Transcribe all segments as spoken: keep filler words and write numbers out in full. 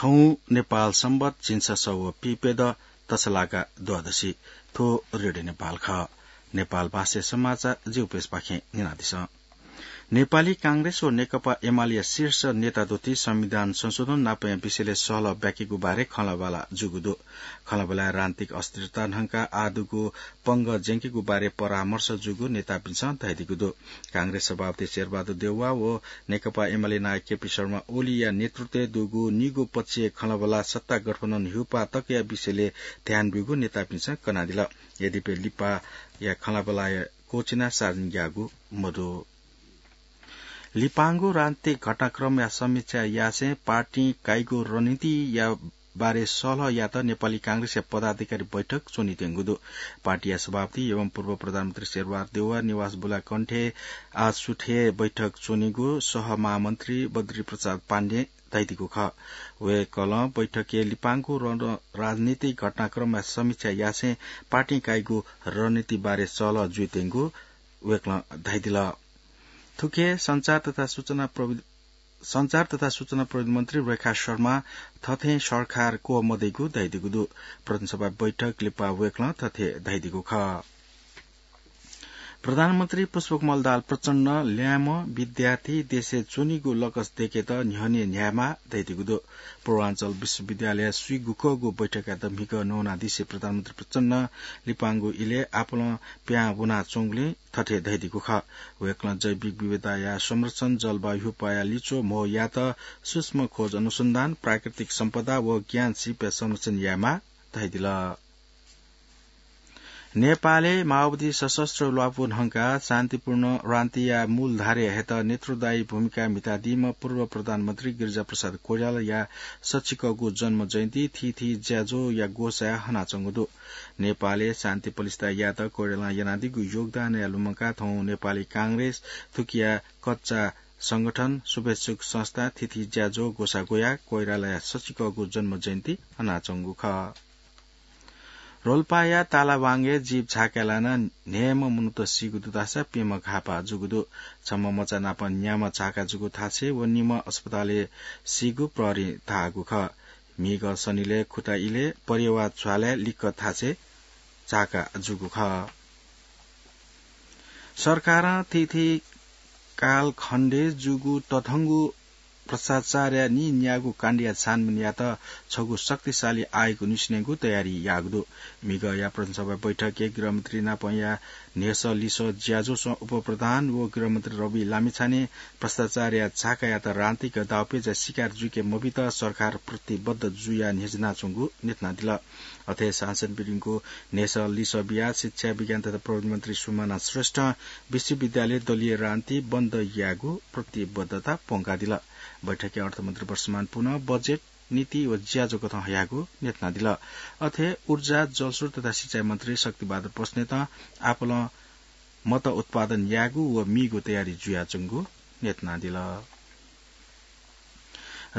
थौं नेपाल संवत झिंछसः व पीप्यदँ तछलागा द्वादशी। थ्व रेडियो नेपाल खः। नेपाल भाषाया समाचार जिगु पेजपाखें न्यनादिसँ। नेपाली कांग्रेस व नेकपा एमालेया शीर्ष नेता दुथि संविधान संशोधन नापया विषयलय् सहलह ब्याकेगु बारे खँल्हाबल्हा जूगु दु। खँल्हाबल्हाय् राजनीतिक अस्थिरता न्हंकाः आः दुगु पंगः ज्यंकेगु बारे परामर्श जूगु नेतापिन्सं धयादीगु दु। कांग्रेस सभापति शेरबहादुर देउवा व नेकपा एमाले नायः केपी शर्मा ओलीया नेतृत्वय् दुगु निगू पक्षीय खँल्हाबल्हा सत्ता गठबन्धन ह्यूपाः तकया विषयलय् ध्यान ब्यूगु नेतापिन्सं कनादिल। यद्यपि लिपाया खँल्हाबल्हाया क्वःछिना सार्वजनिक याःगु मदु। लिपांगु राजनीतिक घटनाक्रमया समीक्षा यासें पार्टीं काइगु रणनीतिया बारे सहलह यायेत नेपाली कांग्रेसया पदाधिकारी बैठक च्वनीत्यंगु दु। पार्टीया सभापति एवं पूर्व प्रधानमन्त्री शेरबहादुर देउवा निवास बुलाकण्ठय् आः सुथय् बैठक च्वनीगु सहमहामन्त्री बद्री प्रसाद पाण्डें धयादीगु खः। वय्कलं बैठकय् लिपांगु रण-, राजनीतिक घटनाक्रमया समीक्षा यासें पार्टीं काइगु रणनीति बारे सहलह जुइत्यंगु वय्कलं धयादिल। थुखे सञ्चार तथा सूचना प्रविधि, सञ्चार तथा सूचना प्रविधि मन्त्री रेखा शर्मा थथें सरकार क्वः मदइगु धयादीगु दु। प्रतिनिधि सभा बैठक लिपा वय्कलं थथे धयादीगु खः। प्रधानमन्त्री पुष्पकमल दाहाल प्रचण्डं ल्याय्म्ह विद्यार्थी देशय् च्वनीगु लकस दय्केत न्ह्यःने न्ह्यायेमाः धयादीगु दु। पूर्वाञ्चल विश्वविद्यालयया स्वीगुकःगु बैठकयात म्हिगः नवानादिसे प्रधानमन्त्री प्रचण्डं लिपांगु इलय् आपालं पिहां वनाच्वंगुलिं थथे धयादीगु खः। वय्कलं जैविक विविधताया संरक्षण, जलवायु ह्यूपाःया लिच्वः म्हो यायेत सूक्ष्म खोज अनुसन्धान, प्राकृतिक सम्पदा व ज्ञान सिपया संरक्षण यायेमाः धयादिल। नेपालय् माओवादी सशस्त्र ल्वापु न्हंकाः शान्तिपूर्ण राजनीतिया मूलधारय् हयेत नेतृत्वदायी भूमिका म्हितादीम्ह पूर्व प्रधानमन्त्री गिरिजाप्रसाद कोइरालाया सच्चिकःगु जन्म जयन्ती थीथी ज्याझ्वःया ग्वसाय् हनाच्वंगु दु। नेपालय् शान्ति प्रतिष्ठा यायेत कोइरालां यानादीगु योगदानया लुमंकाः थौं नेपाली कांग्रेस, थुकिया कच्चा संगठन, शुभेच्छुक संस्था, थीथी ज्याझ्वः ग्वसाः ग्वयाः कोइरालाया सच्चिकःगु जन्म जयन्ती हनाच्वंगु खः। रोल्पाया तालावाङय् जीप झाकाय् लानाः न्हय्म्ह मनूत सीगु दु धाःसा प्यम्ह घाःपाः जूगु दु। छम्ह मचा नाप न्याम्ह झाका जूगु थासय् व निम्ह अस्पतालय् सीगु प्रहरीं धाःगु खः। म्हिगः सनिलय् खुता इलय् परेवा झ्वालय् लिक्क थासय् झाका जूगु खः। सरकारं थीथी कालखण्डय् जूगु तथंगु भ्रष्टाचारया नीन्यागू काण्डया छानबिन यायेत छगू शक्तिशाली आयोग निस्वनेगु तयारी याःगु दु। म्हिगःया प्रतिनिधिसभा बैठकय् गृहमन्त्री नापंया न्ह्यसः लिसः ज्याझ्वःसं उपप्रधान व गृहमन्त्री रवि लामिछानें भ्रष्टाचारया झाकायात राजनीतिक दाउपेचया शिकार जुइके मबीत सरकार प्रतिबद्ध जुयाः न्ह्यचिनाच्वंगु न्ह्यथनादिल। अथे सांसदपिनिगु न्ह्यसः लिसः बियाः शिक्षा, विज्ञान तथा प्रविधि मन्त्री सुमाना श्रेष्ठं विश्वविद्यालय दलीय राजनीति बन्द यायेगु प्रतिबद्धता प्वंकादिल। बैठकय् अर्थमन्त्री वर्षमान पुनं बजेट, नीति व ज्याझ्वः कथं हयागु न्ह्यथनादिल। अथे ऊर्जा, जलस्रोत तथा सिँचाइ मन्त्री शक्तिबहादुर बस्नेतं आपालं मत उत्पादन यायेगु व मीगु तयारी जुयाच्वंगु न्ह्यथनादिल।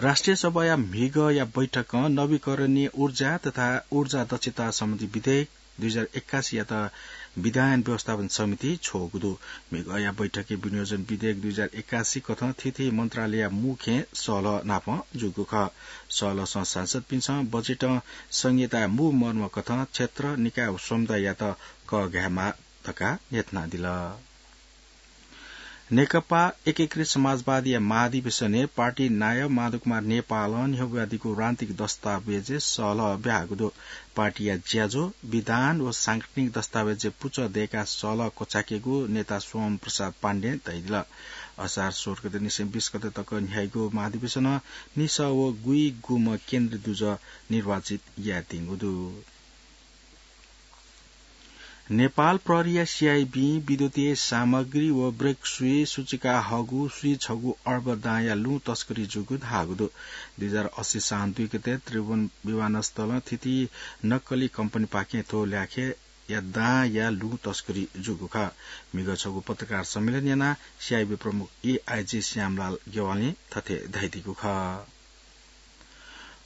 राष्ट्रिय सभाया म्हिगःया बैठकं नवीकरणीय ऊर्जा तथा ऊर्जा दक्षता सम्बन्धी विधेयक दुई हजार एक्कासीयात विधायन व्यवस्थापन समितिइ छ्वःगु दु। म्हिगःया बैठकय् विनियोजन विधेयक दुई हजार एक्कासी कथं थीथी मन्त्रालयया मू खँय् सहलह नापं जूगु खः। सहलहसं सांसदपिन्सं बजेटं संहिताया मू मर्म कथं क्षेत्र, निकाय व समुदाययात कःघायेमाः धकाः न्ह्यथनादिल। नेकपा एकीकृत समाजवादीया महाधिवेशनय् पार्टी नायः माधवकुमार नेपालं न्ह्यब्वयादीगु राजनीतिक दस्तावेजय् सहलह ब्याहाःगु दु। पार्टीया ज्याझ्वः, विधान व सांगठनिक दस्तावेजय् पुचः दय्काः सहलह क्वचायेकेगु नेता सोम प्रसाद पाण्डें धयादिल। असार सोह्र गते निसें बीस गते तक न्ह्याइगु महाधिवेशनं निसः व गुइगुम्ह केन्द्रीय दुजः निर्वाचित यायेत्यंगु दु। नेपाल प्रहरीया सीआइबीं विद्युतीय सामग्री व ब्रेक सुइ सुचुकाः हःगु सुइ छगू अर्ब दांया लुँ तस्करी जूगु धाःगु दु। दुई हजार अस्सी साउन दुई गते त्रिभुवन विमानस्थलं थीथी नक्कली कम्पनीपाखें थ्व ल्याखेया दांया लुँ तस्करी जूगु खः। म्हिगः छगू पत्रकार सम्मेलन यानाः सीआइबी प्रमुख एआइजी श्यामलाल ज्ञवालीं थथे धयादीगु खः।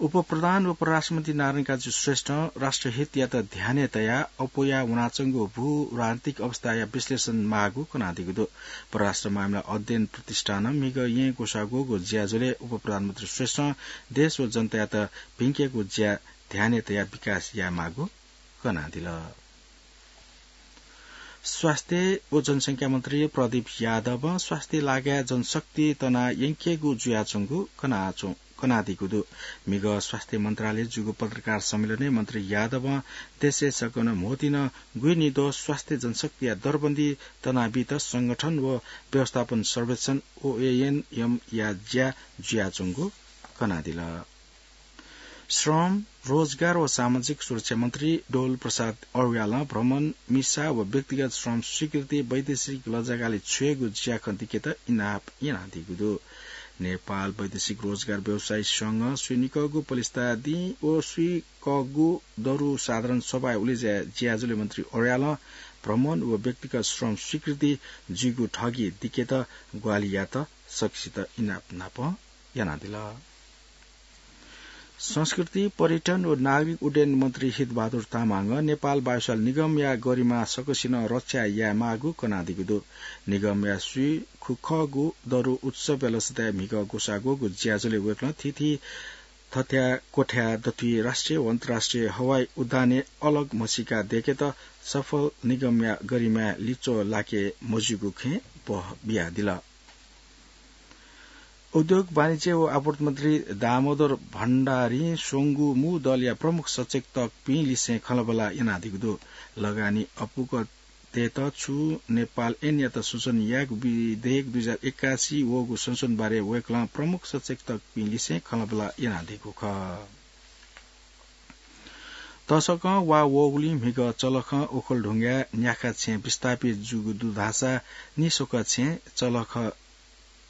उपप्रधान व परराष्ट्रमन्त्री नारायण काजी श्रेष्ठं राष्ट्रहितयात ध्यानय् तयाः अप्वया वनाच्वंगु भूराजनीतिक अवस्थाया विश्लेषण माःगु कनादीगु दु। परराष्ट्र मामिला अध्ययन प्रतिष्ठानं म्हिगः येँ ग्वसाः ग्वःगु ज्याझ्वलय् उपप्रधानमन्त्री श्रेष्ठं देश व जनतायात भिंकेगु ज्या ध्यानय् तयाः विकास यायेमाःगु कनादिल। स्वास्थ्य व जनसंख्या मन्त्री प्रदीप यादवं स्वास्थ्य लागाय् जनशक्ति तना यंकेगु जुयाच्वंगु कनाच्वं-, कनादीगु दु। म्हिगः स्वास्थ्य मन्त्रालय जूगु पत्रकार सम्मेलनय् मन्त्री यादवं देशय् सकसिनं म्होतिन गुइनिद्वः स्वास्थ्य जनशक्तिया दरबन्दी तनाबीत संगठन व व्यवस्थापन सर्वेक्षण, ओएएनएम, या ज्या जुयाच्वंगु कनादिल। श्रम, रोजगार व सामाजिक सुरक्षा मन्त्री डोल प्रसाद अर्यालं भ्रमण, मिसा व व्यक्तिगत श्रम स्वीकृति वैदेशिक लजागालय् छ्वयेगु ज्याखँ दिकेत इनाप यानादीगु दु। नेपाल वैदेशिक रोजगार व्यवसायी संघं स्वीनिकःगु पलिस्था दिं व स्वीकःगु दरु साधारण सभाय् उलेज्या ज्याझ्वलय् मन्त्री अर्यालं भ्रमण व व्यक्तिगत श्रम स्वीकृति जुइगु ठगी दिकेत ग्वाहालि यात सकसित इनाप नाप यानादिल। संस्कृति, पर्यटन व नागरिक उड्डयन मन्त्री हितबहादुर तामाङं नेपाल वायुसेवा निगमया गरिमा सकसिनं रक्षा यायेमाःगु कनादीगु दु। निगमया स्वीखुखःगु दरु उत्सवया लसताय् म्हिगः ग्वसाः ग्वःगु ज्याझ्वलय् वय्कलं थीथी थथ्या क्वथ्या दथुइ राष्ट्रिय व अन्तर्राष्ट्रिय हवाई उड्डानय् अलग म्हसीका दय्केत सफल निगमया गरिमाय् लिच्वः लाके मज्यूगु खँय् बह बियादिल। उद्योग, वाणिज्य व आपूर्ति मन्त्री दामोदर भण्डारीं स्वंगू मू दलया प्रमुख सचेतकपिं लिसें खँल्हाबल्हा यानादीगु दु। लगानी अपुगतय्त छु नेपाल ऐनयात संशोधन यायेगु विधेयक दुई हजार एकासी वःगु संशोधन बारे वय्कलं प्रमुख सचेतकपिं लिसें खँल्हाबल्हा यानादीगु खः। तसकं वा वःगुलिं म्हिगः चलखं ओखलढुङ्गाय् न्याखा छेँ विस्थापित जूगु दु धाःसा निस्वक छेँ चलख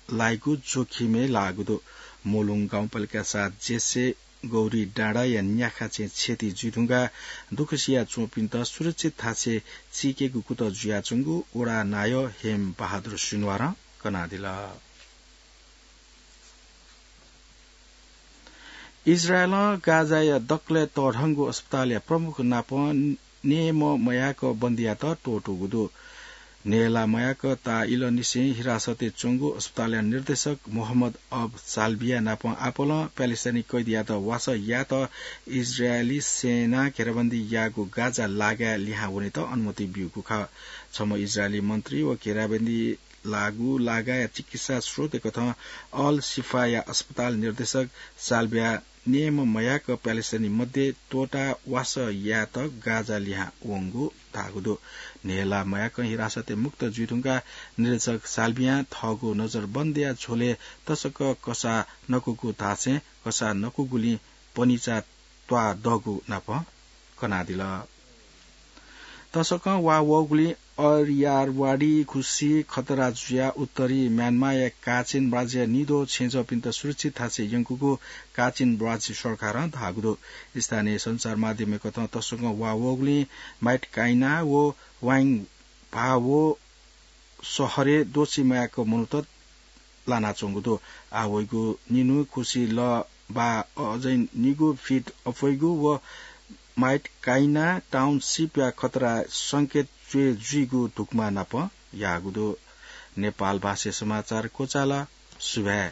लाइगु जोखिमय् लाःगु दु। मोलुङ गाउँपालिका सात जेसे गौरी डाँडाया न्याखा छेँ क्षति जुइधुंकाः दुःख सिया च्वंपिन्त सुरक्षित थासय् चीकेगु कुतः जुयाच्वंगु वडा नायः हेम बहादुर सुनवारं कनादिल। इजरायलं गाजाया दकलय् तःधंगु अस्पतालया प्रमुख नाप नयेम्ह मयाक बन्दीयात त्वःतूगु दु। नयेला मयाक ताः इलंनिसें हिरासतय् च्वंगु अस्पतालया निर्देशक मोहम्मद अब साल्बिया नाप आपालं प्यालेस्टाइनी कैदीयात वासः यायेत इजरायली सेनां घेराबन्दी याःगु गाजा लागाय् लिहां वनेत अनुमति ब्यूगु खः। छम्ह इजरायली मन्त्री व घेराबन्दी लाःगु लागाया चिकित्सा स्रोतय् कथं अल शिफाया अस्पताल निर्देशक साल्बिया नयेम्ह मयाक प्यालेस्टाइनी मध्ये त्वःताः वासः यायेत गाजा लिहां वंगु धाःगु दु। नयेला मयाकं हिरासतय् मुक्त जुइधुंकाः निर्देशक साल्बियां थःगु नजरबन्दया झ्वलय् तसकं कसाः नकूगु धाःसें कसाः नकूगुलिं पनिचा त्वाःदःगु नाप कनादिल। तसकं वा वःगुलिं अरियारवाडी खुसी खतरा जुयाः उत्तरी म्यानमारया काचिन राज्यया निद्वः छेँजःपिन्त सुरक्षित थासय् यंकूगु काचिन राज्य सरकारं धाःगु दु। स्थानीय सञ्चार माध्यमय् कथं तसकं वा वःगुलिं माइटकाइना व वाइङभावो शहरय् द्वःछि मयाक मनूत लानाच्वंगु दु। आः वइगु निन्हु खुसी लः वा अझै निगू फिट अप्वइगु व माइटकाइना टाउनसिपया खतरा संकेत च्वय् जुइगु धुकुमा नाप याःगु दु। नेपाल भाषाय् समाचार क्वचाल। सुभाय्।